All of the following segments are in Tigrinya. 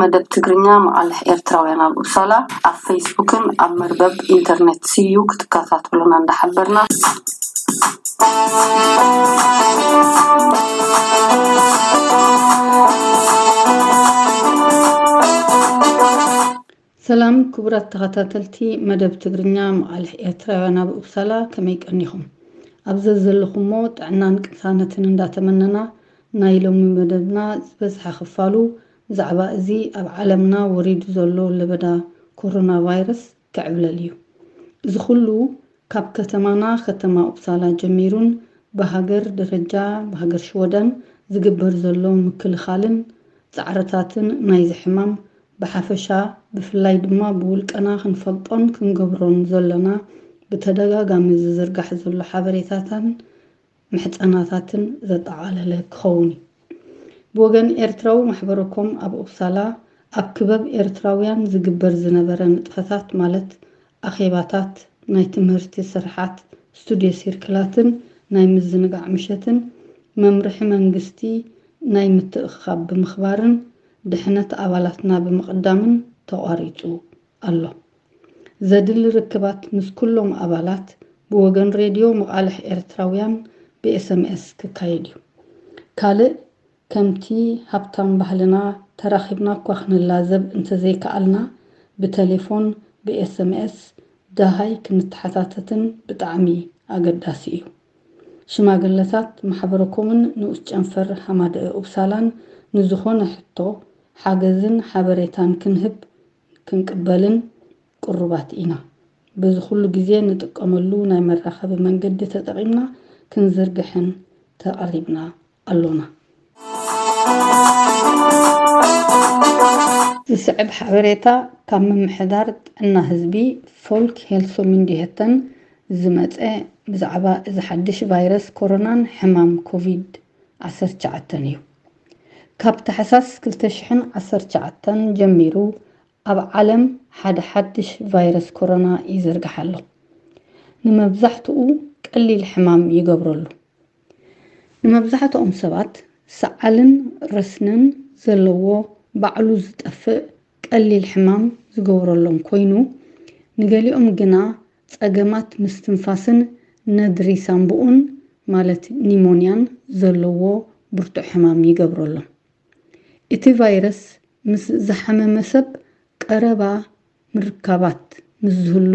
መደብ ትግርኛ መቓልሕ ኤርትራውያን ኣብ ኡፕሳላ ኣብ ፌስቡክን ኣብ መርበብ ኢንተርኔት ሲዩ ክትከታተሉና እንዳሓበርና። ሰላም ክቡራት ተኸታተልቲ መደብ ትግርኛ መቓልሕ ኤርትራውያን ኣብ ኡፕሳላ፣ ከመይ ቀኒኹም? ኣብ ዘዘለኹሞ ጥዕናን ቅሳነትን እንዳተመነና፣ ናይ ሎሚ መደብና ዝበዝሐ ክፋሉ ብዛዕባ እዚ ኣብ ዓለምና ወሪዱ ዘሎ ለበዳ ኮሮና ቫይረስ ክዕብለል እዩ። እዚ ኩሉ ካብ ከተማና ከተማ ኡፕሳላ ጀሚሩን ብሃገር ደረጃ ብሃገር ሽወደን ዝግበር ዘሎ ምክልኻልን ጻዕርታትን ናይዚ ሕማም ብሓፈሻ ብፍላይ ድማ ብውልቀና ክንፈልጦን ክንገብሮን ዘለና ብተደጋጋሚ ዝዝርጋሕ ዘሎ ሓበሬታታን ምሕጸናታትን ዘጠቓለለ ክኸውን እዩ። ብወገን ኤርትራዊ ማሕበረኮም ኣብ ኡፕሳላ ኣብ ክበብ ኤርትራውያን ዝግበር ዝነበረ ንጥፈታት ማለት ኣኼባታት፣ ናይ ትምህርቲ ስርሓት፣ ስቱድዮ ሲርክላትን ናይ ምዝንጋዕ ምሸትን መምርሒ መንግስቲ ናይ ምትእኽኻብ ብምኽባርን ድሕነት ኣባላትና ብምቕዳምን ተቋሪጹ ኣሎ። ዘድሊ ርክባት ምስ ኩሎም ኣባላት ብወገን ሬድዮ መቓልሕ ኤርትራውያን ብኤስኤምኤስ ክካየድ እዩ። ካልእ ከምቲ ሃብታም ባህልና ተራኺብና እኳ ክንላዘብ እንተዘይከኣልና ብቴሌፎን ብኤስኤምኤስ ደሃይ ክንተሓታተትን ብጣዕሚ ኣገዳሲ እዩ። ሽማግለታት ማሕበረኮምን ንኡስ ጨንፈር ሃማደአ ኡፕሳላን ንዝኾነ ሕቶ ሓገዝን ሓበሬታን ክንህብ ክንቅበልን ቅሩባት ኢና። በዚ ኩሉ ግዜ ንጥቀመሉ ናይ መራኸቢ መንገዲ ተጠቒምና ክንዝርግሕን ተቐሪብና ኣሎና። ዝስዕብ ሓበሬታ ካብ ምምሕዳር ጥዕና ህዝቢ ፎልክ ሄልሶ ሚንዲሄተን ዝመጸ ብዛዕባ እዚ ሓድሽ ቫይረስ ኮሮናን ሕማም ኮቪድ ዓሰርተ ትሽዓተ እዩ። ካብ ታሕሳስ ክልተ ሽሕን ዓሰርተ ትሽዓተን ጀሚሩ ኣብ ዓለም ሓደ ሓድሽ ቫይረስ ኮሮና ይዝርጋሕ ኣሎ። ንመብዛሕትኡ ቀሊል ሕማም ይገብረሉ። ንመብዛሕትኦም ሰባት ሰዓልን ረስንን ዘለዎ ባዕሉ ዝጠፍእ ቀሊል ሕማም ዝገብረሎም ኮይኑ፣ ንገሊኦም ግና ጸገማት ምስትንፋስን ነድሪ ሳንቡኡን ማለት ኒሞንያን ዘለዎ ብርቱዕ ሕማም ይገብረሎም። እቲ ቫይረስ ምስ ዝሓመመ ሰብ ቀረባ ምርካባት ምስ ዝህሉ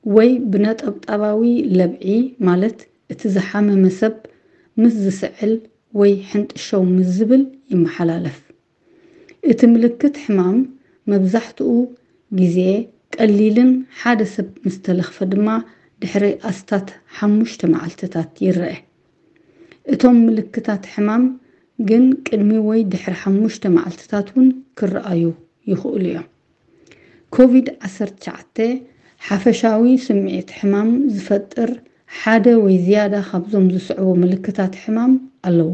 ወይ ብነጠብጣባዊ ለብዒ ማለት እቲ ዝሓመመ ሰብ ምስ ዝስዕል ወይ ሕንጥሸው ምስ ዝብል ይመሓላለፍ። እቲ ምልክት ሕማም መብዛሕትኡ ግዜ ቀሊልን ሓደ ሰብ ምስ ተለኽፈ ድማ ድሕሪ ኣስታት ሓሙሽተ መዓልትታት ይረአ። እቶም ምልክታት ሕማም ግን ቅድሚ ወይ ድሕሪ ሓሙሽተ መዓልትታት እውን ክረኣዩ ይኽእሉ እዮም። ኮቪድ ዓሰርተ ትሽዓተ ሓፈሻዊ ስምዒት ሕማም ዝፈጥር ሓደ ወይ ዝያዳ ካብዞም ዝስዕቡ ምልክታት ሕማም ኣለዎ።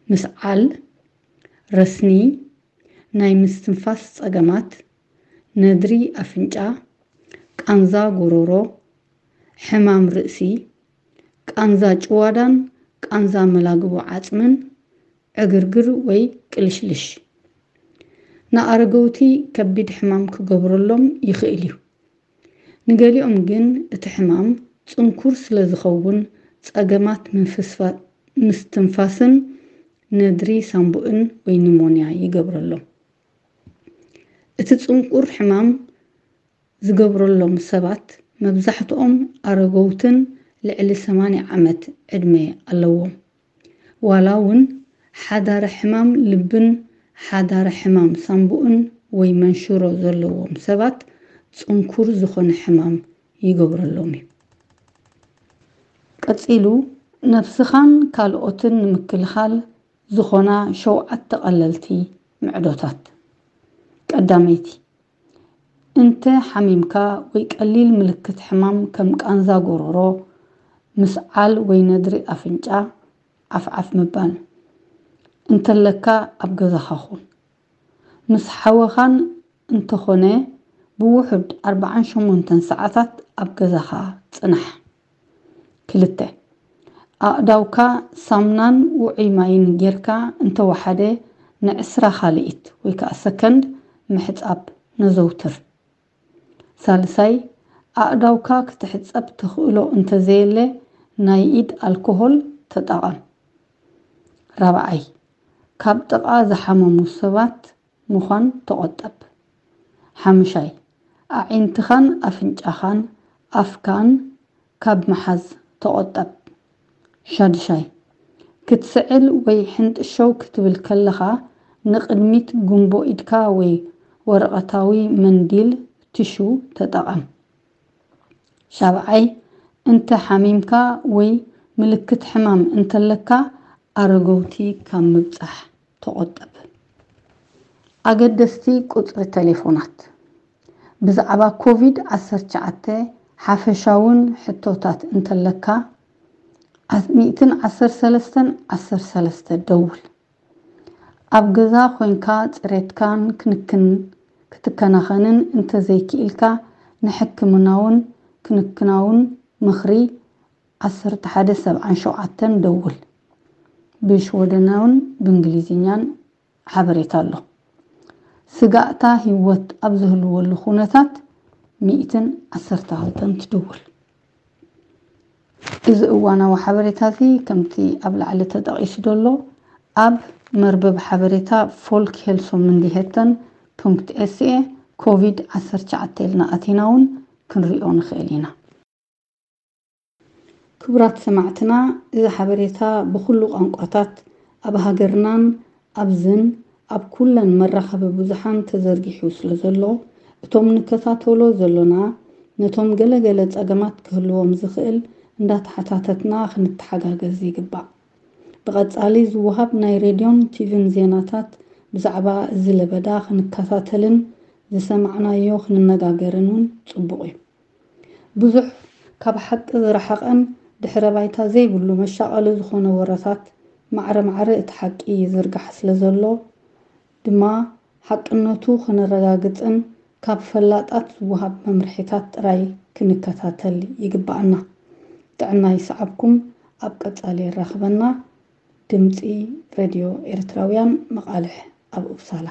ምስዓል፣ ረስኒ፣ ናይ ምስትንፋስ ጸገማት፣ ነድሪ ኣፍንጫ፣ ቃንዛ ጎሮሮ፣ ሕማም ርእሲ፣ ቃንዛ ጭዋዳን ቃንዛ መላግቦ ዓጽምን፣ ዕግርግር ወይ ቅልሽልሽ። ንኣረገውቲ ከቢድ ሕማም ክገብረሎም ይኽእል እዩ። ንገሊኦም ግን እቲ ሕማም ጽንኩር ስለ ዝኸውን ጸገማት ምፍስፋ-፣ ምስትንፋስን ነድሪ ሳንቡእን ወይ ኒሞንያ ይገብረሎም። እቲ ጽንኩር ሕማም ዝገብረሎም ሰባት መብዛሕትኦም ኣረገውትን ልዕሊ ሰማንያ ዓመት ዕድመ ኣለዎም። ዋላ እውን ሓዳረ ሕማም ልብን ሓዳረ ሕማም ሳንቡእን ወይ መንሽሮ ዘለዎም ሰባት ጽንኩር ዝኾነ ሕማም ይገብረሎም እዩ። ቀጺሉ ነብስኻን ካልኦትን ንምክልኻል ዝኾና ሸውዓተ ቀለልቲ ምዕዶታት። ቀዳመይቲ፣ እንተ ሓሚምካ ወይ ቀሊል ምልክት ሕማም ከም ቃንዛ ጎሮሮ፣ ምስዓል ወይ ነድሪ ኣፍንጫ፣ ዓፍዓፍ ምባል እንተለካ ኣብ ገዛኻ ኩን። ምስ ሓወኻን እንተኾነ ብውሑድ ኣርባዓን ሸሞንተን ሰዓታት ኣብ ገዛኻ ጽናሕ። ክልተ፣ ኣእዳውካ ሳሙናን ውዑይ ማይን ጌርካ እንተወሓደ ንዕስራ ካልኢት ወይ ከዓ ሰከንድ ምሕጻብ ነዘውትር። ሳልሳይ፣ ኣእዳውካ ክትሕጸብ ተኽእሎ እንተዘየለ ናይ ኢድ ኣልኮሆል ተጠቐም። ራብዓይ፣ ካብ ጥቓ ዝሓመሙ ሰባት ምዃን ተቖጠብ። ሓምሻይ፣ ኣዒንትኻን ኣፍንጫኻን ኣፍካን ካብ ምሓዝ ተቖጠብ። ሻድሻይ፣ ክትስዕል ወይ ሕንጥሸው ክትብል ከለኻ ንቕድሚት ጉንቦ ኢድካ ወይ ወረቐታዊ መንዲል፣ ቲሹ፣ ተጠቐም። ሻብዓይ፣ እንተ ሓሚምካ ወይ ምልክት ሕማም እንተለካ ኣረገውቲ ካብ ምብጻሕ ተቖጠብ። ኣገደስቲ ቁጽሪ ቴሌፎናት። ብዛዕባ ኮቪድ ዓሰርተ ትሽዓተ ሓፈሻውን ሕቶታት እንተለካ፣ ሚእትን ዓሰርተ ሰለስተን ዓሰርተ ሰለስተ ደውል። ኣብ ገዛ ኮይንካ ጽሬትካን ክንክን ክትከናኸንን እንተዘይክኢልካ ንሕክምናውን ክንክናውን ምኽሪ ዓሰርተ ሓደ ሰብዓን ሸውዓተን ደውል። ብሽወደናውን ብእንግሊዝኛን ሓበሬታ ኣሎ። ስጋእታ ህይወት ኣብ ዝህልወሉ ኩነታት ሚእትን ዓሰርተ ክልተን ትድውል። እዚ እዋናዊ ሓበሬታ እዚ ከምቲ ኣብ ላዕሊ ተጠቒሱ ዘሎ ኣብ መርበብ ሓበሬታ ፎልክ ሄልሶ ምንዲሄተን ፖንክት ኤስኤ ኮቪድ ዓሰርተ ትሽዓተ ኢልና ኣቲና እውን ክንሪኦ ንኽእል ኢና። ክቡራት ሰማዕትና፣ እዚ ሓበሬታ ብኹሉ ቋንቋታት ኣብ ሃገርናን ኣብዝን ኣብ ኩለን መራኸቢ ብዙሓን ተዘርጊሑ ስለ ዘሎ፣ እቶም ንከታተሎ ዘሎና ነቶም ገለ ገለ ጸገማት ክህልዎም ዝኽእል እንዳተሓታተትና ክንተሓጋገዝ ይግባእ። ብቐጻሊ ዝወሃብ ናይ ሬድዮን ቲቪን ዜናታት ብዛዕባ እዚ ለበዳ ክንከታተልን ዝሰማዕናዮ ክንነጋገርን እውን ጽቡቕ እዩ። ብዙሕ ካብ ሓቂ ዝረሓቐን ድሕረ ባይታ ዘይብሉ መሻቐሊ ዝኾነ ወረታት ማዕረ ማዕረ እቲ ሓቂ ይዝርጋሕ ስለ ዘሎ ድማ ሓቅነቱ ከነረጋግጽን ካብ ፈላጣት ዝወሃብ መምርሒታት ጥራይ ክንከታተል ይግብኣና። ጥዕና ይስዓብኩም። ኣብ ቀጻሊ የራኽበና። ድምጺ ሬድዮ ኤርትራውያን መቓልሕ ኣብ ኡፕሳላ።